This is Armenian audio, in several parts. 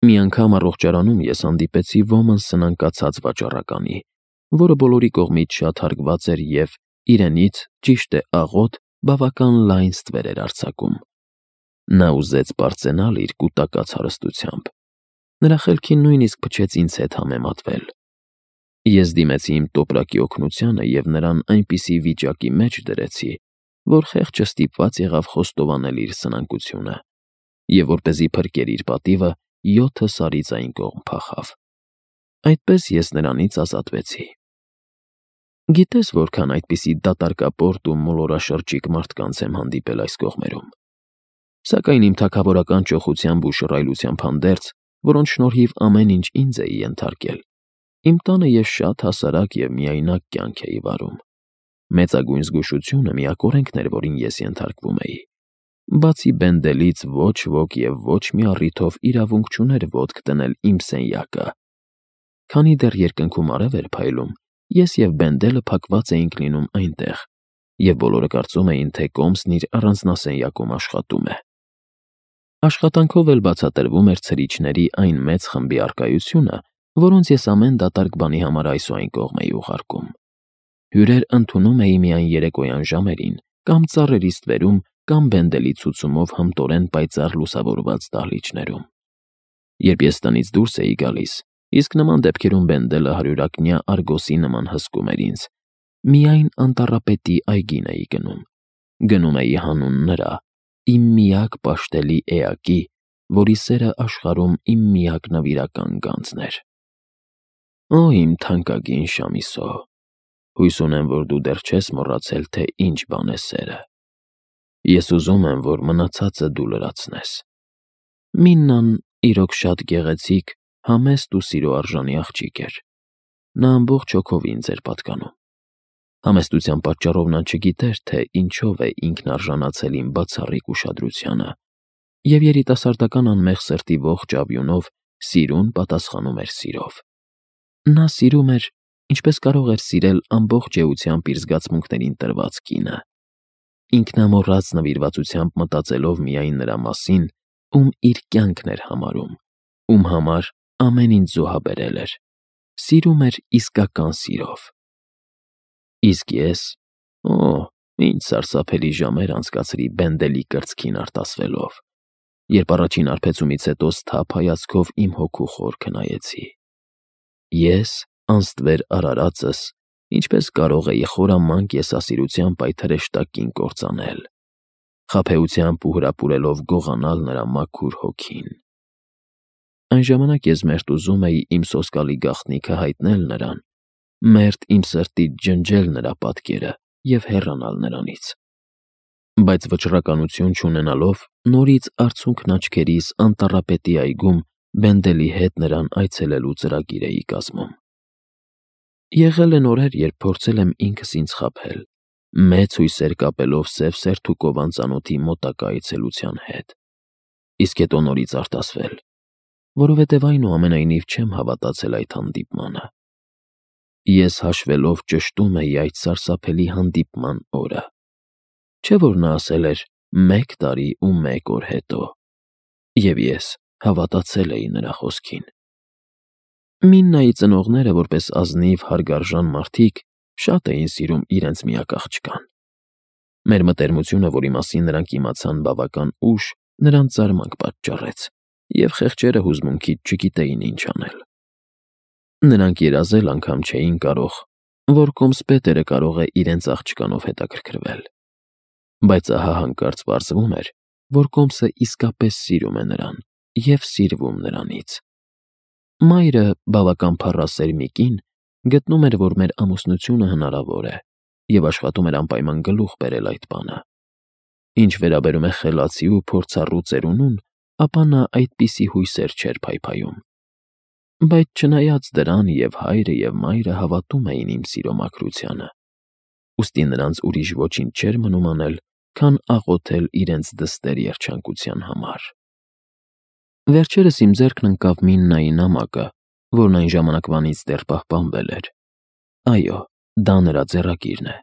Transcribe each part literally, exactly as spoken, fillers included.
Մի անգամ առողջարանում ես հանդիպեցի ոմն սնանկացած վաճառականի, որը բոլորի կողմից շատ հարգված էր և իրենից, ճիշտ է, աղոտ, բավական լայն ստվեր էր արձակում։ Նա ուզեց պարծենալ իր կուտակած հարստությամբ։ Նրա խելքին նույնիսկ փչեց ինձ հետ համեմատվել։ Ես դիմեցի իմ տոպրակի օգնությանը և նրան այնպիսի վիճակի մեջ դրեցի, որ խեղճը ստիպված եղավ խոստովանել իր սնանկությունը, և որպեսզի փրկեր իր պատիվը, յոթը սարից այն կողմ փախավ։ Այդպես ես նրանից ազատվեցի։ Գիտե՞ս որքան այդպիսի դատարկապորտ ու մոլորաշրջիկ մարդկանց եմ հանդիպել այս կողմերում։ Սակայն իմ թագավորական ճոխությամբ ու շռայլությամբ հանդերձ, որոնց շնորհիվ ամեն ինչ ինձ էի ենթարկել, իմ տանը ես շատ հասարակ և միայնակ կյանք էի վարում։ Մեծագույն զգուշությունը միակ օրենքն էր, որին ես ենթարկվում էի։ Բացի Բենդելից ոչ ոք և ոչ մի առիթով իրավունք չուներ ոտք դնել իմ սենյակը։ Քանի դեռ երկնքում արև էր փայլում, ես և Բենդելը փակված էինք լինում այնտեղ, և բոլորը կարծում էին, թե կոմսն իր առանձնասենյակում աշխատում է։ Աշխատանքով էլ բացատրվում էր ցրիչների այն մեծ խմբի առկայությունը, որոնց ես ամեն դատարկ բանի համար այս ու այն կողմ էի ուղարկում։ Հյուրեր ընդունում էի միայն երեկոյան ժամերին, կամ ծառերի ստվերում, կամ Բենդելի ցուցումով հմտորեն պայծառ լուսավորված դահլիճներում։ Երբ ես տնից դուրս էի գալիս, իսկ նման դեպքերում Բենդելը հարյուրակնյա Արգոսի նման հսկում էր ինձ, միայն անտառապետի այգին էի գնում։ Գնում էի հանուն նրա, իմ միակ պաշտելի էակի, որի սերը աշխարհում իմ միակ նվիրական գանձն էր։ Օ, իմ թանկագին Շամիսո, հույս ունեմ, որ դու դեռ չես մոռացել, թե ինչ բան է սերը։ Ես ուզում եմ, որ մնացածը դու լրացնես։ Միննան իրոք շատ գեղեցիկ, համեստ ու սիրո արժանի աղջիկ էր։ Նա ամբողջ հոգով ինձ էր պատկանում։ Համեստության պատճառով նա չգիտեր, թե ինչով է ինքն արժանացել իմ բացառիկ ուշադրությանը, և երիտասարդական անմեղ սրտի ողջ աբյունով սիրուն պատասխանում էր սիրով։ Նա սիրում էր, ինչպես կարող էր սիրել ամբողջ էությամբ իր զգացմունքներին տրված կինը, ինքնամոռաց նվիրվածությամբ մտածելով միայն նրա մասին, ում իր կյանքն էր համարում, ում համար ամեն ինչ զոհաբերել էր, սիրում էր իսկական սիրով։ Իսկ ես… Օ, ինչ սարսափելի ժամեր անցկացրի Բենդելի կրծքին արտասվելով, երբ առաջին հարբեցումից հետո սթափ հայացքով իմ հոգու խորքը նայեցի։ Ես, անստվեր արարածս, ինչպես կարող էի խորամանկ եսասիրությամբ այդ հրեշտակ կին կործանել, խաբեությամբ ու հրապուրելով գողանալ նրա մաքուր հոգին։ Այն ժամանակ ես մերթ ուզում էի իմ սոսկալի գաղտնիքը հայտնել նրան, մերթ իմ սրտից ջնջել նրա պատկերը և հեռանալ նրանից։ Բայց վճռականություն չունենալով, նորից արցունքն աչքերիս անտառապետի այգում Բենդելի հետ նրան այցելելու ծրագիր էի կազմում։ Եղել են օրեր, երբ փորձել եմ ինքս ինձ խաբել, մեծ հույսեր կապելով Սևսերթուկով անծանոթի մոտակա այցելության հետ, իսկ հետո նորից արտասվել, որովհետև այնուամենայնիվ չեմ հավատացել այդ հանդիպմանը։ Ես հաշվելով ճշտում էի այդ սարսափելի հանդիպման օրը։ Չէ՞ որ նա ասել էր մեկ տարի ու մեկ օր հետո, և ես հավատացել էի նրա խոսքին։ Միննայի ծնողները, որպես ազնիվ, հարգարժան մարդիկ, շատ էին սիրում իրենց միակ աղջկան։ Մեր մտերմությունը, որի մասին նրանք իմացան բավական ուշ, նրանց զարմանք պատճառեց, և խեղճերը հուզմունքից չգիտեին ինչ անել։ Նրանք երազել անգամ չէին կարող, որ կոմսպետերը կարող է իրենց աղջկանով հետաքրքրվել։ Բայց ահա հանկարծ պարզվում էր, որ կոմսը իսկապես սիրում է նրան և սիրվում նրանից։ Մայրը, բավական փառասեր մի կին, գտնում էր, որ մեր ամուսնությունը հնարավոր է, և աշխատում էր անպայման գլուխ բերել այդ բանը։ Ինչ վերաբերում է խելացի ու փորձառու ծերունուն, ապա նա այդպիսի հույսեր չէր փայփայում։ Բայց չնայած դրան և հայրը, և մայրը հավատում էին իմ սիրո մաքրությանը, ուստի նրանց ուրիշ ոչինչ չէր մնում անել, քան աղոթել իրենց դստեր երջանկության համար։ Վերջերս իմ ձեռքն ընկավ Միննայի նամակը, որն այն ժամանակվանից դեռ պահպանվել էր։ Այո, դա նրա ձեռագիրն է։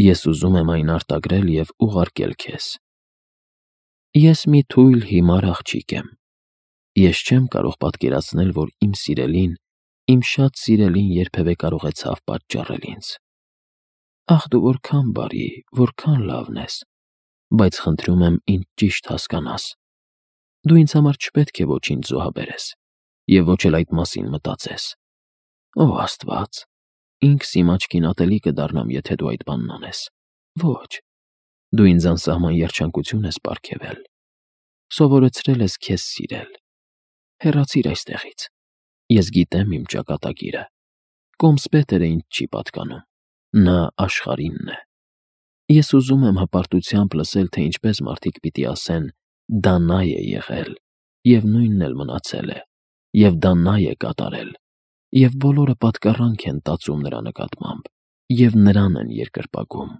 Ես ուզում եմ այն արտագրել և ուղարկել քեզ։ Ես մի թույլ հիմար աղջիկ եմ։ Ես չեմ կարող պատկերացնել, որ իմ սիրելին, իմ շատ սիրելին երբևէ կարող է ցավ պատճառել ինձ։ Ախ, դու որքան բարի, որքան լավն ես, բայց խնդրում եմ ինձ ճիշտ հասկանաս։ Դու ինձ համար չպետք է ոչինչ զոհաբերես և ոչ էլ այդ մասին մտածես։ Ո Աստված, ինքս իմ աչքին ատելի կդառնամ, եթե դու այդ բանն անես։ Ոչ, դու ինձ անսահման երջանկություն ես պարգևել։ Սովորեցրել ես քեզ սիրել։ Հեռացիր այստեղից։ Ես գիտեմ իմ ճակատագիրը։ Կոմսպետերը ինձ չի պատկանում։ Նա աշխարհինն է։ Ես ուզում եմ հպարտությամբ լսել, թե ինչպես մարդիկ պիտի ասեն. դա նա է եղել, և նույնն էլ մնացել է, և դա նա է կատարել, և բոլորը պատկառանք են տածում նրա նկատմամբ, և նրան են երկրպագում։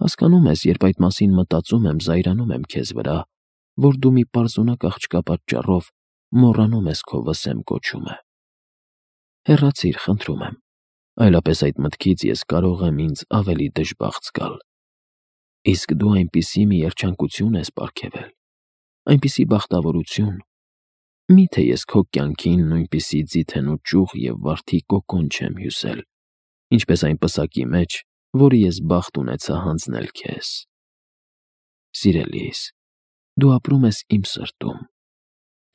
Հասկանում ես, երբ այդ մասին մտածում եմ, զայրանում եմ քեզ վրա, որ դու մի պարզունակ աղջկա պատճառով մոռանում ես քո վսեմ կոչումը։ Հեռացիր, խնդրում եմ, այլապես այդ մտքից ես կարող եմ ինձ ավելի դժբախտ զգալ։ Իսկ դու այնպիսի մի երջանկություն ես պարգևել, այնպիսի բախտավորություն։ Մի՞թե ես քո կյանքին նույնպիսի ձիթենու ճյուղ և վարդի կոկոն չեմ հյուսել, ինչպես այն պսակի մեջ, որը ես բախտ ունեցա հանձնել քեզ։ Սիրելիս, դու ապրում ես իմ սրտում,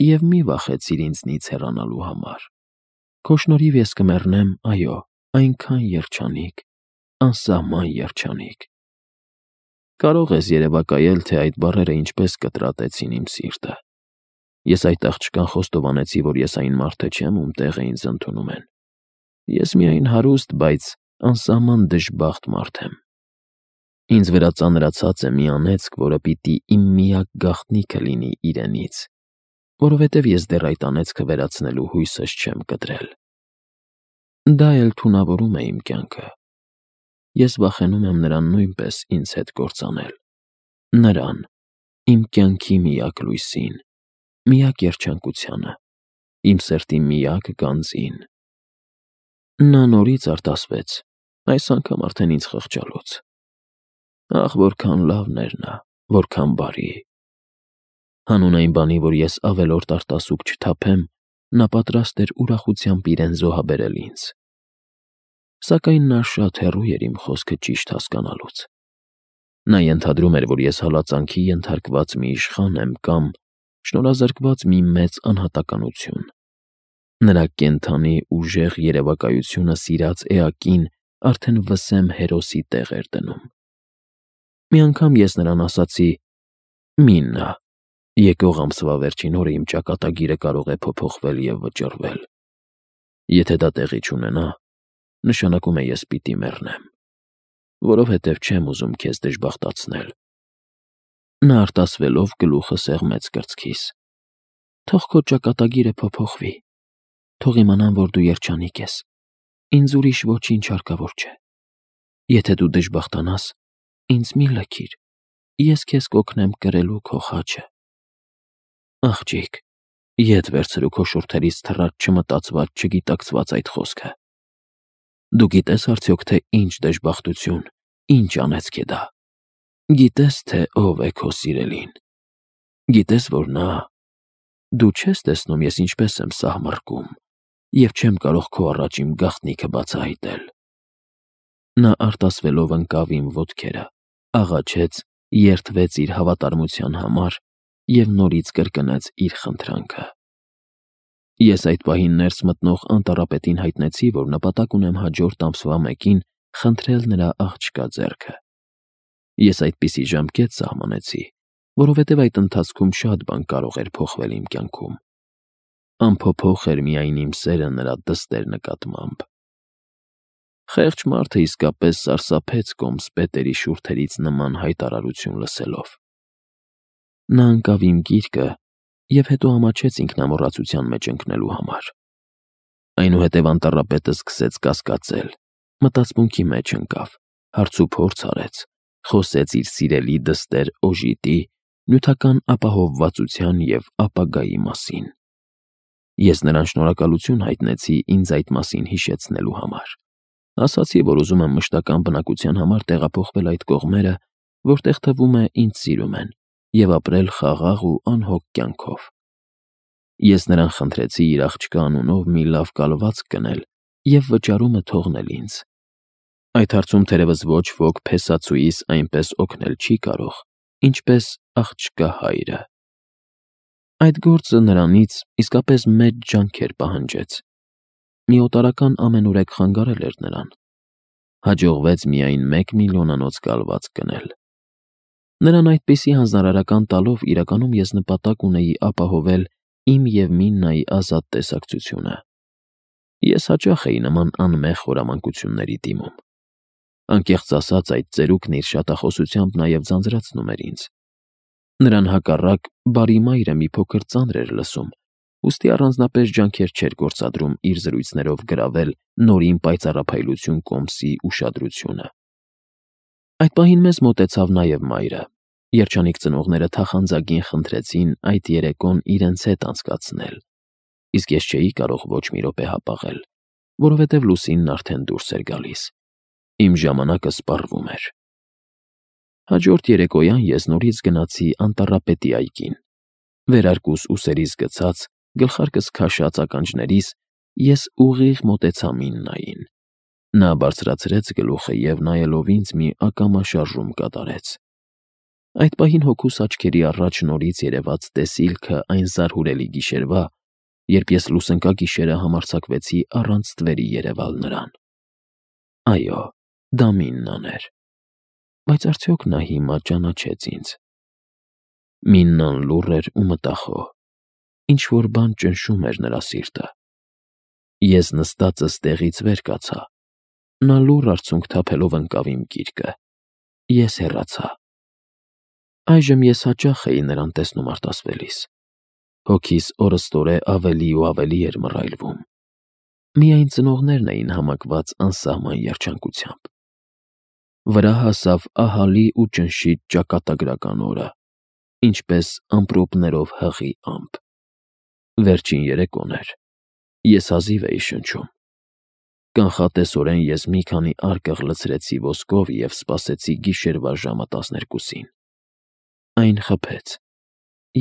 և մի վախեցիր ինձնից հեռանալու համար։ Քո շնորհիվ ես կմեռնեմ, այո, այնքան երջանիկ, անսահման երջանիկ։ Կարող ես երևակայել, թե այդ բառերը ինչպես կտրատեցին իմ սիրտը։ Ես այդ աղջկան խոստովանեցի, որ ես այն մարդը չեմ, ում տեղը ինձ ընդունում են։ Ես միայն հարուստ, բայց անսահման դժբախտ մարդ եմ։ Ինձ վրա ծանրացած է մի անեծք, որը պիտի իմ միակ գաղտնիքը լինի իրենից, որովհետև ես դեռ այդ անեծքը վերացնելու հույսս չեմ կտրել։ Դա էլ թունավորում է իմ կյանքը։ Ես վախենում եմ նրան նույնպես ինձ հետ կործանել։ Նրան, իմ կյանքի միակ լույսին, միակ երջանկությանը, իմ սրտի միակ գանձին։ Նա նորից արտասվեց, այս անգամ արդեն ինձ խղճալուց։ Ախ, որքան լավն էր նա, որքան բարի։ Հանուն այն բանի, որ ես ավելորդ արտասուք չթափեմ, նա պատրաստ էր ուրախությամբ իրեն զոհաբերել ինձ։ Սակայն նա շատ հեռու էր իմ խոսքը ճիշտ հասկանալուց։ Նա ենթադրում էր, որ ես հալածանքի ենթարկված մի իշխան եմ կամ շնորհազրկված մի մեծ անհատականություն։ Նրա կենդանի, ուժեղ երևակայությունը սիրած էակին արդեն վսեմ հերոսի տեղ էր դնում։ Մի անգամ ես նրան ասացի. «Մի նա, եկող ամսվա վերջին օրը իմ ճակատագիրը կարող է փոփոխվել և վճռվել։ Եթե դա տեղի չունենա, նշանակում է ես պիտի մեռնեմ, որովհետև չեմ ուզում քեզ դժբախտացնել»։ Նա արտասվելով գլուխը սեղմեց կրծքիս։ «Թող քո ճակատագիրը փոփոխվի, թող իմանան, որ դու երջանիկ ես, ինձ ուրիշ ոչինչ հարկավոր չէ։ Եթե դու դժբախտանաս, ինձ մի լքիր, ես քեզ կօգնեմ կրելու քո խաչը»։ Աղջիկ, ետ վերցրու քո շուրթերից թռած չմտածված, չգիտակցված այդ խոսքը։ Դու գիտես արդյոք, թե ինչ դժբախտություն, ինչ անեծք է դա։ Գիտես, թե ով է քո սիրելին։ Գիտես, որ նա… Դու չես տեսնում ես ինչպես եմ սահմռկում և չեմ կարող քո առաջ իմ գաղտնիքը բացահայտել։ Նա արտասվելով ընկավ իմ ոտքերը, աղաչեց, երդվեց իր հավատարմության համար և նորից կրկնեց իր խնդրանքը։ Ես այդ պահին ներս մտնող անտառապետին հայտնեցի, որ նպատակ ունեմ հաջորդ ամսվա մեկին խնդրել նրա աղջկա ձեռքը։ Ես այդպիսի ժամկետ սահմանեցի, որովհետև այդ ընթացքում շատ բան կարող էր փոխվել իմ կյանքում։ Անփոփոխ էր միայն իմ սերը նրա դստեր նկատմամբ։ Խեղճ մարդը իսկապես սարսափեց կոմսպետերի շուրթերից նման հայտարարություն լսելով։ Նա ընկավ իմ գիրկը և հետո ամաչեց ինքնամոռացության մեջ ընկնելու համար։ Այնուհետև անտառապետը սկսեց կասկածել, մտածմունքի մեջ ընկավ, հարցուփորձ արեց, խոսեց իր սիրելի դստեր Օժիտի, նյութական ապահովվածության և ապագայի մասին։ Ես նրան շնորհակալություն հայտնեցի ինձ այդ մասին հիշեցնելու համար։ Ասացի, որ ուզում եմ մշտական բնակության համար տեղափոխվել այդ կողմերը, որտեղ թվում է ինձ սիրում են, և ապրել խաղաղ ու անհոգ կյանքով։ Ես նրան խնդրեցի իր աղջկա անունով մի լավ կալվածք գնել և վճարումը թողնել ինձ։ Այդ հարցում թերևս ոչ ոք փեսացուիս այնպես օգնել չի կարող, ինչպես աղջկա հայրը։ Այդ գործը նրանից իսկապես մեծ ջանքեր պահանջեց։ Մի օտարական ամենուրեք խանգարել էր նրան։ Հաջողվեց միայն մեկ միլիոնանոց կալվածք գնել։ Նրան այդպիսի հանձնարարական տալով իրականում ես նպատակ ունեի ապահովել իմ և Միննայի ազատ տեսակցությունը։ Ես հաճախ էի նման անմեղ խորամանկությունների դիմում։ Անկեղծ ասած, այդ ծերուկն իր շատախոսությամբ նաև ձանձրացնում էր ինձ։ Նրան հակառակ բարի մայրը մի փոքր ծանր էր լսում, ուստի առանձնապես ջանքեր չէր գործադրում իր զրույցներով գրավել նորին պայծառափայլություն կոմսի ուշադրությունը։ Այդ պահին մեզ մոտեցավ նաև մայրը։ Երջանիկ ծնողները թախանձագին խնդրեցին այդ երեկոն իրենց հետ անցկացնել, իսկ ես չէի կարող ոչ մի րոպե հապաղել, որովհետև Լուսինն արդեն դուրս էր գալիս։ Իմ ժամանակը սպառվում էր։ Հաջորդ երեկոյան ես նորից գնացի անտառապետի այգին։ Վերարկուս ուսերիս գցած, գլխարկս քաշած ականջներիս ես ուղիղ մոտեցա Միննային։ Նա բարձրացրեց գլուխը և նայելով ինձ մի ակամա շարժում կատարեց։ Այդ պահին հոգուս աչքերի առաջ նորից երևաց տեսիլքը այն զարհուրելի գիշերվա, երբ ես լուսնկագիշերը համարձակվեցի առանց ստվերի երևալ նրան։ Այո, դա Միննան էր։ Բայց արդյոք նա հիմա ճանաչեց ինձ։ Միննան լուռ էր ու մտախոհ։ Ինչ-որ բան ճնշում էր նրա սիրտը։ Ես նստածս տեղից վեր կացա։ Նա լուռ արցունք թափելով ընկավ իմ գիրկը։ Ես հեռացա։ Այժմ ես հաճախ էի նրան տեսնում արտասվելիս։ Հոգիս օրըստօրե ավելի ու ավելի էր մռայլվում։ Միայն ծնողներն էին համակված անսահման երջանկությամբ։ Վրա հասավ ահալի ու ճնշիչ ճակատագրական օրը, ինչպես ամպրոպներով հղի ամպ։ Վերջին երեկոն էր։ Ես հազիվ էի շնչում։ Կանխատեսորեն ես մի քանի արկղ լցրեցի ոսկով և սպասեցի գիշերվա ժամը տասներկուսին։ Այն խփեց։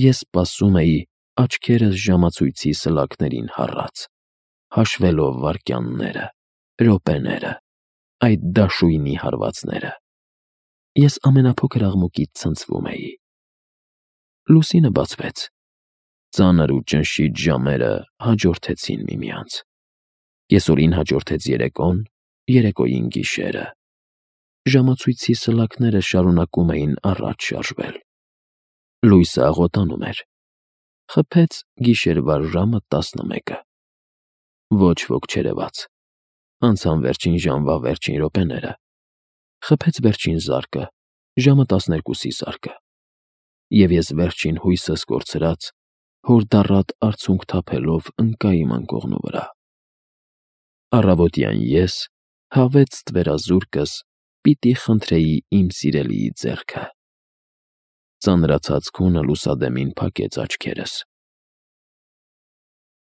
Ես սպասում էի, աչքերս ժամացույցի սլաքներին հառած, հաշվելով վայրկյանները, րոպեները, այդ դաշույնի հարվածները։ Ես ամենափոքր աղմուկից ցնցվում էի։ Լուսինը բացվեց։ Ծանր ու ճնշիչ ժամերը հաջորդեցին միմյանց։ Կեսօրին հաջորդեց երեկոն, երեկոյին գիշերը։ Ժամացույցի սլաքները շարունակում էին առաջ շարժվել։ Լույսը աղոտանում էր։ Խփեց գիշերվա ժամը տասնմեկը։ Ոչ ոք չերևաց։ Անցան վերջին ժամվա վերջին րոպեները։ Խփեց վերջին զարկը, ժամը տասներկուսի զարկը։ Եվ ես վերջին հույսս կորցրած, հորդառատ արցունք թափելով ընկա իմ անկողնու վրա։ Առավոտյան ես, հավեց ստվերազուրկս, պիտի խնդրեի իմ սիրելիի ձեռքը։ Ծանրացած քունը լուսադեմին փակեց աչքերս։